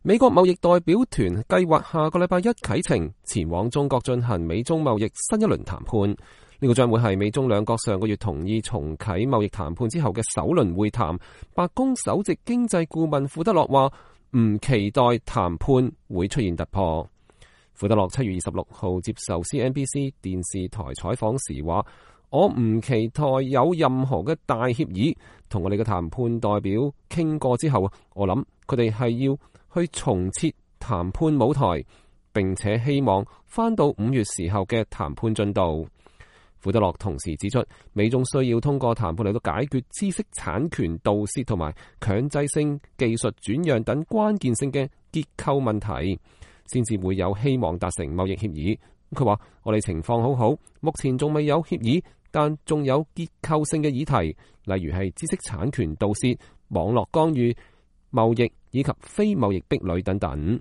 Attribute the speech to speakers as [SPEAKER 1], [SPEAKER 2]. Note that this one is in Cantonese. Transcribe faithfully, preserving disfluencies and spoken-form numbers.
[SPEAKER 1] 美國貿易代表團計劃下個禮拜一啟程前往中國進行美中貿易新一輪談判，呢個將會係美中兩國上個月同意重啟貿易談判之後嘅首輪會談。白宮首席經濟顧問庫德洛話唔期待談判會出現突破。庫德洛七月二十六號接受 C N B C 電視台採訪時話：我唔期待有任何嘅大協議，同我哋嘅談判代表傾過之後，我諗佢哋係要去重設談判舞台，並且希望返到五月時候嘅談判進度。庫德洛同時指出，美中需要通過談判嚟到解決知識產權盜竊同埋強制性技術轉讓等關鍵性嘅結構問題，先至會有希望達成貿易協議。佢話：我哋情況好好，目前仲未有協議，但仲有結構性嘅議題，例如係知識產權盜竊、網絡干預、貿易以及非貿易壁壘等等。